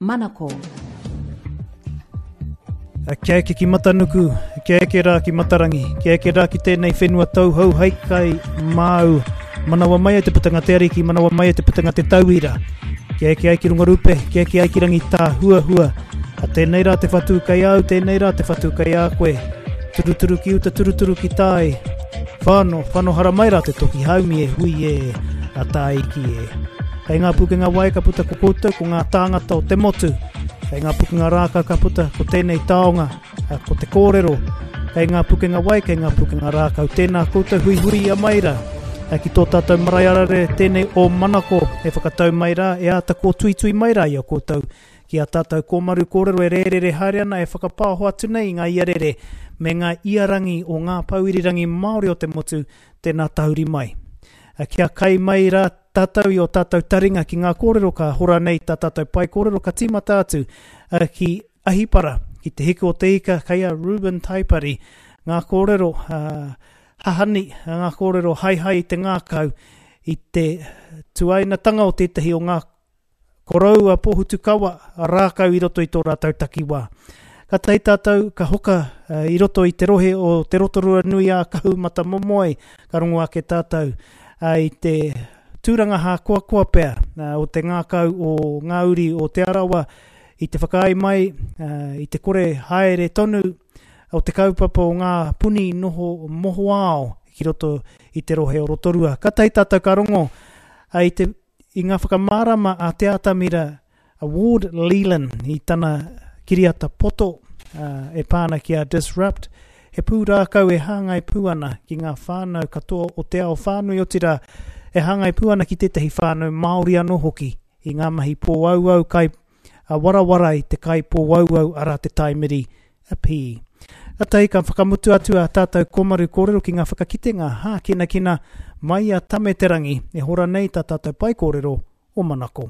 Manako. Kia eke ki Matanuku, kia eke rā ki Matarangi, kia eke rā ki tēnei whenua tauhou hei kai māu. Manawa mai e te putanga te ariki, manawa mai e te putanga te tauira. Kia eke ai ki runga rupe, kia eke ai ki rangi tāhuahua. A tēnei rā te whatu kei au, tēnei rā te whatu kei a koe. Turuturu ki uta, turuturu ki tai. Whano, whano haramai rā te toki haumi e hui e, a tāiki e. Kei ngā pukenga wai ka puta ko koutou, ko ngā tāngata o te motu. Kei ngā pukenga rākau ka puta ko tēnei taonga, ko te kōrero. Kei ngā pukenga wai, kei ngā pukenga rākau. Tēnā koutou huihui ia mai rā. Ki tō tātou marae arare tēnei o Manako e whakatau mai rā, e āta kōtuitui mai rā i a koutou. Ki a tātou kōmaru kōrero e rērere haere ana e whakapāho atu nei i ngā iarere me ngā iarangi o ngā pou irirangi Māori o te motu, tēnā tahuri mai. Kia kai mai rā tātou i ō tātou taringa ki ngā kōrero ka hora nei tā tātou pae kōrero ka tīmata atu ki Ahipara, ki Te Hiku o te Ika, kei a Reuben Taipari ngā kōrero hahani, ngā kōrero haehae i te ngākau i te tuainatanga o tētahi o ngā Koroua Pohutukawa rākau i roto i tō rātou takiwā. Katahi tātou ka hoka i roto i te rohe o Te Rotorua nui ā Kahumatamomoe, ka rongo ake tātou i te tūranga hākoakoa pea o te ngākau o ngā uri o Te Arawa i te whakaae mai i te kore haere tonu o te kaupapa o ngā puni noho mohoao ki roto i te rohe o Rotorua. Katahi tātou ka rongo i te I ngā whakamārama a Te Atamira a Ward Leland i tana kiriata poto e pā ana ki a Disrupt, he pūrākau e hāngai pū ana ki ngā whānau katoa o te ao whānui, otirā, e hāngai pū ana ki tētahi whānau Māori anō hoki i ngā mahi pōauau kai a warawara i te kai pōauau arā te taimiri a pī. Katahi ka whakamutu atu a tātou kōmaru kōrero ki ngā whakakitenga hākinakina mai i a Tame Te Rangi e hora nei tā tātou pae kōrero o Manako.